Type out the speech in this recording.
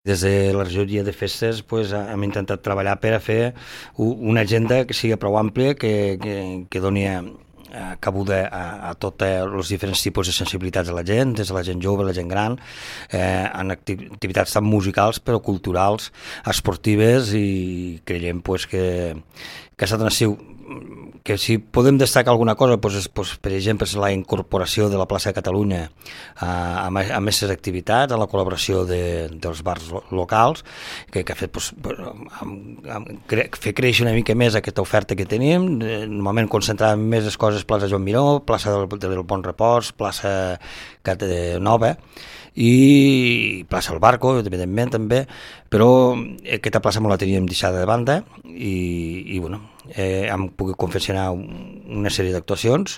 Des de la regidoria de festes hem intentat treballar per a fer una agenda que sigui prou àmplia, que doni cabuda a tots els diferents tipus de sensibilitats de la gent, des de la gent jove, la gent gran, en activitats tant musicals però culturals, esportives, i creiem que ha estat un estiu que si podem destacar alguna cosa, per exemple, és la incorporació de la plaça de Catalunya a més activitats, a la col·laboració dels bars locals, que ha fet fer créixer una mica més aquesta oferta que tenim. Normalment concentràvem més les coses plaça Joan Miró, plaça del Bon Repòs, plaça Nova, i plaça El Barco, evidentment també, però aquesta plaça me la teníem deixada de banda, i bueno, hem pogut confeccionar una sèrie d'actuacions